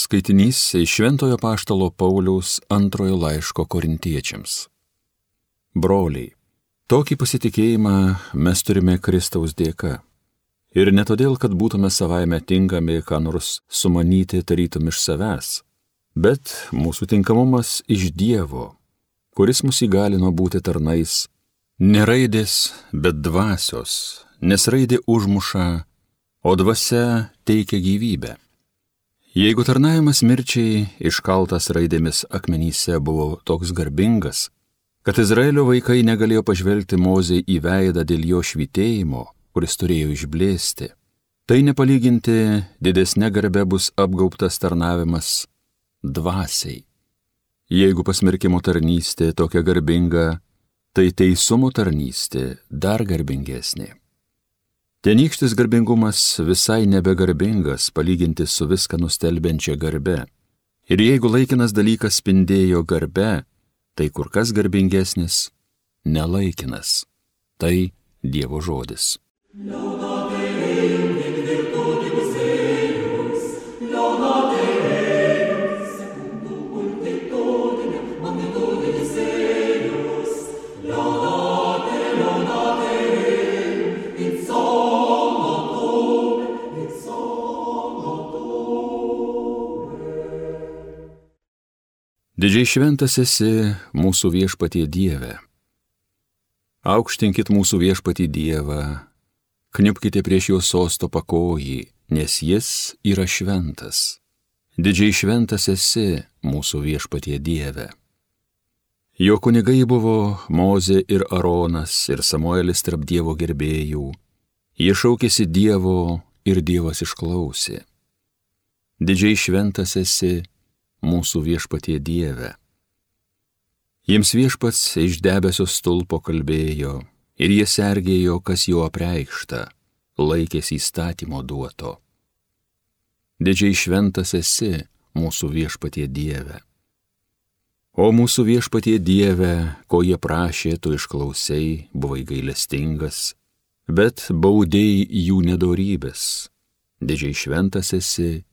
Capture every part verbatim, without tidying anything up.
Skaitinys iš Šventojo Apaštalo Pauliaus antrojo laiško Korintiečiams. Broliai, tokį pasitikėjimą mes turime Kristaus dėka. Ir ne todėl, kad būtume savaime tinkami ką nors sumanyti tarytum iš savęs, bet mūsų tinkamumas iš Dievo, kuris mus įgalino būti tarnais, ne raidės, bet dvasios, nes raidė užmuša, o dvasia teikia gyvybę. Jeigu tarnavimas mirčiai iškaltas raidėmis akmenyse buvo toks garbingas, kad Izraelio vaikai negalėjo pažvelgti Mozei į veidą dėl jo švytėjimo, kuris turėjo išblėsti, tai nepalyginti didesnė garbė bus apgaubtas tarnavimas dvasiai. Jeigu pasmerkimo tarnystė tokia garbinga, tai teisumo tarnystė dar garbingesnė. Tenykštis garbingumas visai nebegarbingas palyginti su viską nustelbiančia garbe. Ir jeigu laikinas dalykas spindėjo garbe, tai kur kas garbingesnis nelaikinas. Tai Dievo žodis. Didžiai šventas esi mūsų viešpatie Dieve. Aukštinkit mūsų viešpatį Dievą, kniupkite prieš jo sosto pakojį, nes jis yra šventas. Didžiai šventas esi mūsų viešpatie Dieve. Jo kunigai buvo Mozė ir Aronas ir Samuelis tarp Dievo gerbėjų. Jie šaukėsi Dievo ir Dievas išklausė. Didžiai šventas esi mūsų viešpatie Dieve. Jiems viešpats iš debesio stulpo kalbėjo, ir jie sergėjo, kas jo apreikšta, laikėsi įstatymo duoto. Didžiai šventas esi mūsų viešpatie Dieve. O mūsų viešpatie Dieve, ko jie prašė, tu išklausei, buvai gailestingas, bet baudėjai jų nedorybės. Didžiai šventas esi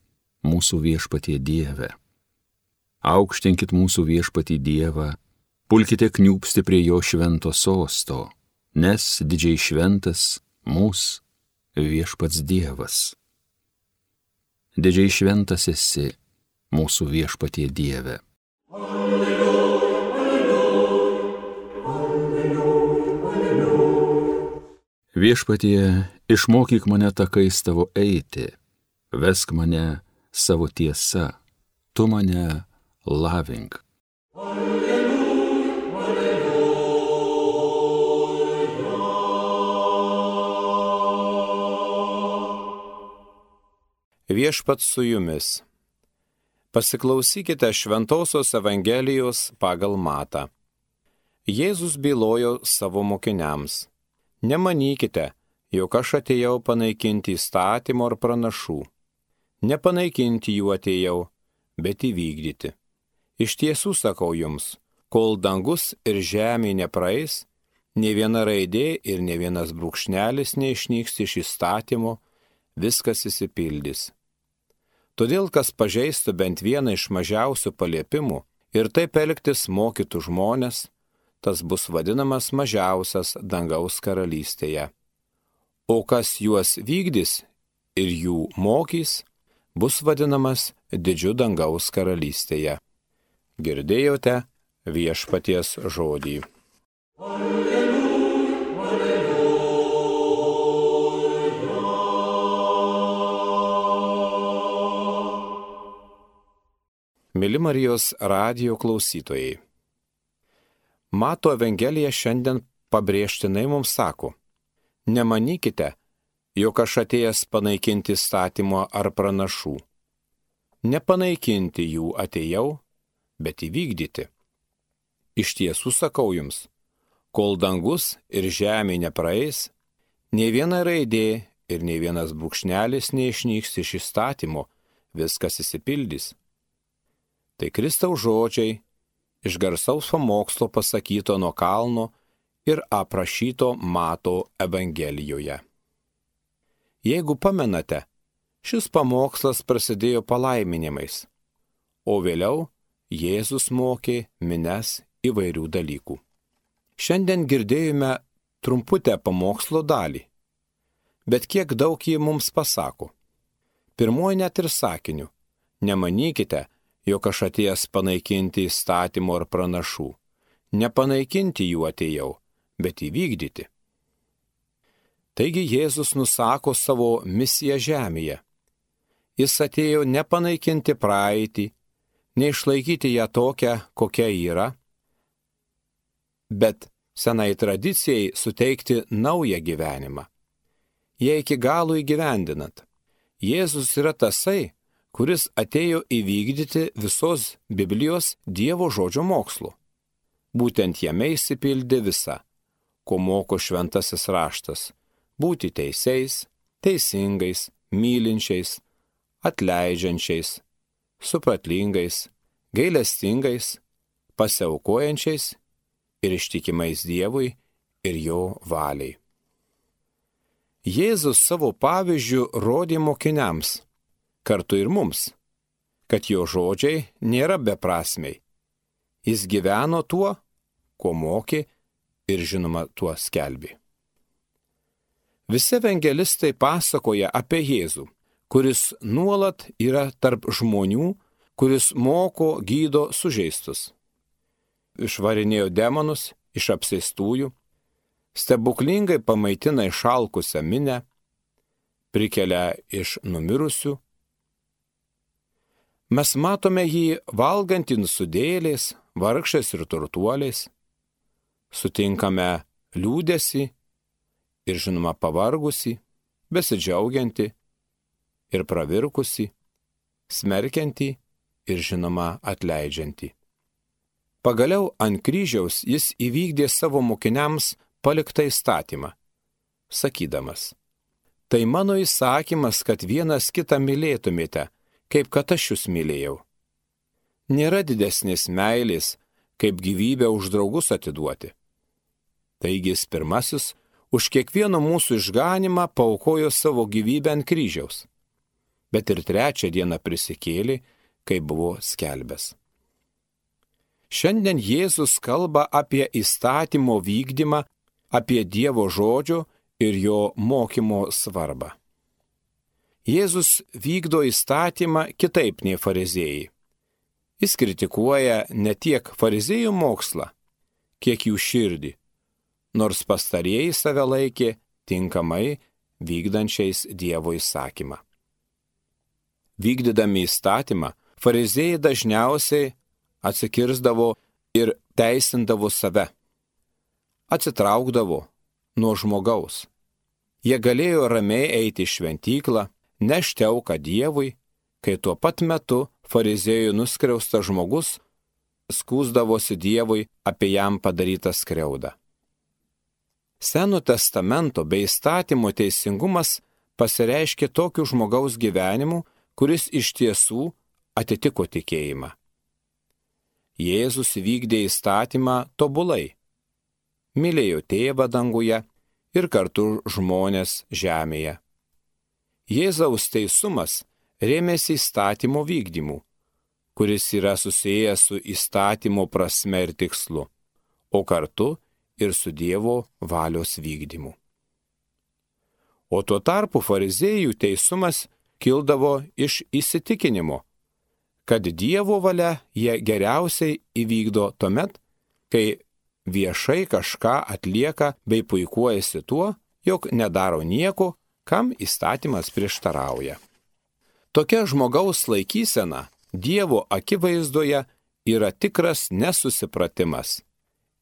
mūsų viešpatie Dieve. Aukštinkit mūsų viešpatį Dievą, pulkite kniūpsti prie jo švento sosto, nes didžiai šventas mūsų viešpats Dievas. Didžiai šventas esi mūsų viešpatie Dieve. Alleluja, alleluja, alleluja, alleluja. Viešpatie, išmokyk mane takais tavo eiti, vesk mane savo tiesa, tu mane lavink. Alleluja, alleluja. Viešpats su jumis. Pasiklausykite Šventosios Evangelijos pagal Matą. Jėzus bylojo savo mokiniams: Nemanykite, jog aš atėjau panaikinti įstatymo ar pranašų. Nepanaikinti jų atėjau, bet įvykdyti. Iš tiesų sakau jums, kol dangus ir žemė nepraeis, nė viena raidė ir nė vienas brūkšnelis neišnyks iš įstatymo, viskas išsipildys. Todėl, kas pažeistų bent vieną iš mažiausių paliepimų ir taip elgtis mokytų žmonės, tas bus vadinamas mažiausias dangaus karalystėje. O kas juos vykdys ir jų mokys, bus vadinamas didžiu dangaus karalystėje. Girdėjote viešpaties žodį. Alleluja, alleluja. Mili Marijos radijo klausytojai, Mato Evangelija šiandien pabrėžtinai mums sako: Nemanykite, jog aš atėjęs panaikinti įstatymo ar pranašų. Nepanaikinti jų atėjau, bet įvykdyti. Iš tiesų sakau jums, kol dangus ir žemė nepraeis, nei viena raidė ir nei vienas brūkšnelis neišnyks iš įstatymo, viskas išsipildys. Tai Kristaus žodžiai iš garsaus pamokslo pasakyto nuo kalno ir aprašyto Mato Evangelijoje. Jeigu pamenate, šis pamokslas prasidėjo palaiminimais, o vėliau Jėzus mokė mines įvairių dalykų. Šiandien girdėjome trumputę pamokslo dalį, bet kiek daug ji mums pasako. Pirmoji net ir sakiniu: nemanykite, jog aš atėjęs panaikinti įstatymo ar pranašų. Nepanaikinti jų atėjau, bet įvykdyti. Taigi Jėzus nusako savo misiją žemėje. Jis atėjo nepanaikinti praeitį, neišlaikyti ją tokią, kokia yra, bet senai tradicijai suteikti naują gyvenimą. Jei iki galo įgyvendinant, Jėzus yra tasai, kuris atėjo įvykdyti visos Biblijos Dievo žodžio mokslo. Būtent jame išsipildė visa, ko moko šventasis raštas – būti teisiais, teisingais, mylinčiais, atleidžiančiais, supratlingais, gailestingais, pasiaukojančiais ir ištikimais Dievui ir jo valiai. Jėzus savo pavyzdžiu rodė mokiniams, kartu ir mums, kad jo žodžiai nėra beprasmiai. Jis gyveno tuo, ko mokė ir žinoma tuo skelbė. Visi evangelistai pasakoja apie Jėzų, kuris nuolat yra tarp žmonių, kuris moko, gydo sužeistus. Išvarinėjo demonus iš apsėstųjų, stebuklingai pamaitina išalkusią minę, prikelia iš numirusių. Mes matome jį valgantį nusidėjėliais, vargšais ir turtuoliais, sutinkame liūdesį ir žinoma pavargusį, besidžiaugiantį ir pravirkusį, smerkiantį ir žinoma atleidžiantį. Pagaliau ant kryžiaus jis įvykdė savo mokiniams paliktą įstatymą, sakydamas: tai mano įsakymas, kad vienas kitą mylėtumėte, kaip kad aš jūs mylėjau. Nėra didesnės meilės, kaip gyvybę už draugus atiduoti. Taigi jis pirmasis už kiekvieno mūsų išganimą paaukojo savo gyvybę ant kryžiaus, bet ir trečią dieną prisikėlė, kai buvo skelbęs. Šiandien Jėzus kalba apie įstatymo vykdymą, apie Dievo žodžio ir jo mokymo svarbą. Jėzus vykdo įstatymą kitaip nei fariziejai. Jis kritikuoja ne tiek fariziejų mokslą, kiek jų širdį, nors pastarieji save laikė tinkamai vykdančiais Dievo įsakymą. Vykdydami įstatymą, fariziejai dažniausiai atsikirsdavo ir teisindavo save, atsitraukdavo nuo žmogaus. Jie galėjo ramiai eiti į šventyklą, nešti auką Dievui, kai tuo pat metu fariziejų nuskriaustas žmogus skųsdavosi Dievui apie jam padarytą skriaudą. Seno testamento bei įstatymo teisingumas pasireiškė tokiu žmogaus gyvenimu, kuris iš tiesų atitiko tikėjimą. Jėzus vykdė įstatymą tobulai, mylėjo Tėvą danguje ir kartu žmonės žemėje. Jėzaus teisumas rėmėsi įstatymo vykdymu, kuris yra susijęs su įstatymo prasme ir tikslu, o kartu ir su Dievo valios vykdymu. O tuo tarpu fariziejų teisumas kildavo iš įsitikinimo, kad Dievo valia jie geriausiai įvykdo tuomet, kai viešai kažką atlieka bei puikuojasi tuo, jog nedaro nieko, kam įstatymas prieštarauja. Tokia žmogaus laikysena Dievo akivaizdoje yra tikras nesusipratimas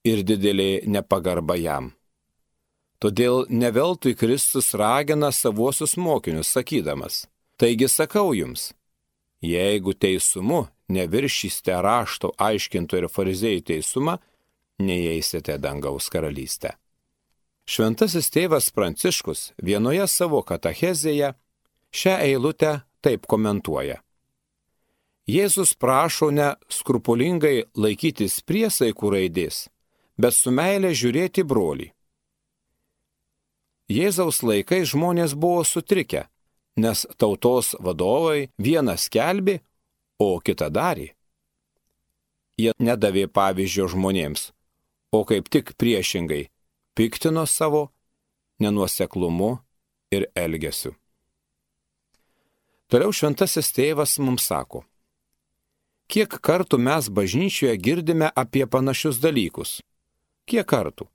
ir didelė nepagarba jam. Todėl neveltui Kristus ragina savuosius mokinius, sakydamas: taigi sakau jums, jeigu teisumu neviršysite rašto aiškintojų ir fariziejų teisumą, neįeisite dangaus karalystę. Šventasis tėvas Pranciškus vienoje savo katechezėje šią eilutę taip komentuoja: Jėzus prašo ne skrupulingai laikytis priesaikų raidės, bet su meile žiūrėti brolį. Jėzaus laikais žmonės buvo sutrikę, nes tautos vadovai vieną skelbė, o kitą darė. jie nedavė pavyzdžio žmonėms, o kaip tik priešingai piktino savo nenuoseklumu ir elgesiu. Toliau šventasis tėvas mums sako, kiek kartų mes bažnyčioje girdime apie panašius dalykus? Kiek kartų?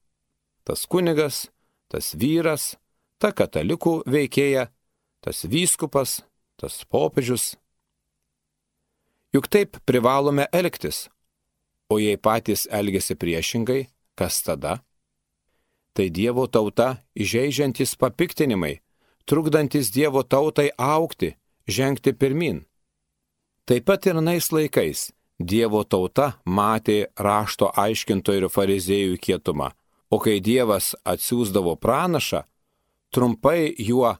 Tas kunigas, tas vyras, ta katalikų veikėja, tas vyskupas, tas popiežius. Juk taip privalome elgtis, o jei patys elgiasi priešingai, kas tada? Tai Dievo tauta įžeidžiantis papiktinimai, trukdantis Dievo tautai augti, žengti pirmin. Taip pat ir anais laikais Dievo tauta matė rašto aiškintojų ir fariziejų kietumą, o kai Dievas atsiųsdavo pranašą, trumpai juo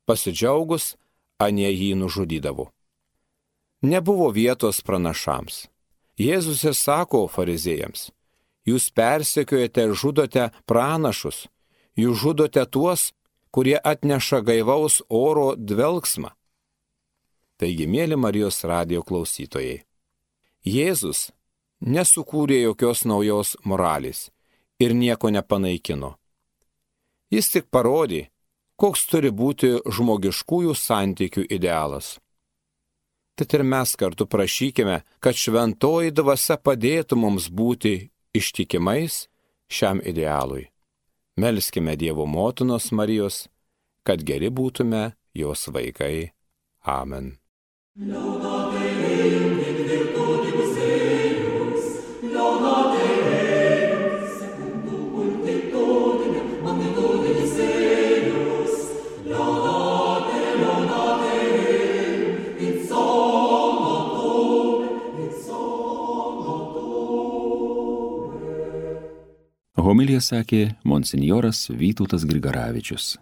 pasidžiaugus, anie jį nužudydavo. Nebuvo vietos pranašams. Jėzus ir sako fariziejams, jūs persekiojate ir žudote pranašus, jūs žudote tuos, kurie atneša gaivaus oro dvelksmą. Taigi, mėly Marijos radijo klausytojai, Jėzus nesukūrė jokios naujos moralės ir nieko nepanaikino. Jis tik parodė, koks turi būti žmogiškųjų santykių idealas. Tad ir mes kartu prašykime, kad šventoji dvasia padėtų mums būti ištikimais šiam idealui. Melskime Dievo motinos Marijos, kad geri būtume jos vaikai. Amen. Laudate Deum in virtutibus eius, laudate Deum secundum multitudinem magnitudibus eius, laudate, laudate Deum in somnotum, in somnotum. Homiliją sakė monsinjoras Vytautas Grigaravičius.